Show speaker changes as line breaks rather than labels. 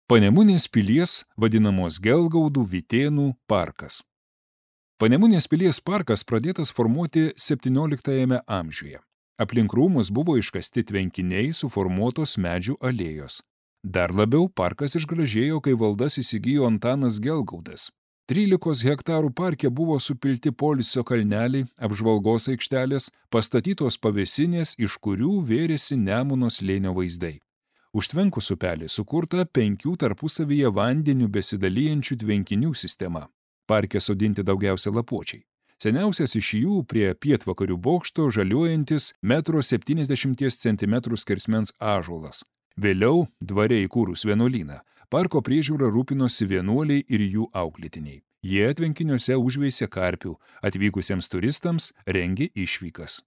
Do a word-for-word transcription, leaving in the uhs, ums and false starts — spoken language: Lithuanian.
Panemunės pilies vadinamos Gelgaudų Vytėnų parkas. Panemunės pilies parkas pradėtas formuoti septynioliktajame amžiuje. Aplink rūmus buvo iškasti tvenkiniai suformuotos medžių alėjos. Dar labiau parkas išgražėjo, kai valdas įsigijo Antanas Gelgaudas. trylikos hektarų parke buvo supilti poilsio kalneliai, apžvalgos aikštelės, pastatytos pavėsinės, iš kurių vėrėsi Nemuno slėnio vaizdai. Užtvenkus upelį sukurta penkių tarpusavyje vandeniu besidalijančių tvenkinių sistema. Parke sodinti daugiausia lapuočiai. Seniausias iš jų prie pietvakarių bokšto žaliuojantis metro septyniasdešimties centimetrų skersmens ąžuolas. Vėliau, dvare įkūrus vienuolyną, parko priežiūra rūpinosi vienuoliai ir jų auklėtiniai. Jie tvenkiniuose užveisė karpių, atvykusiems turistams rengė išvykas.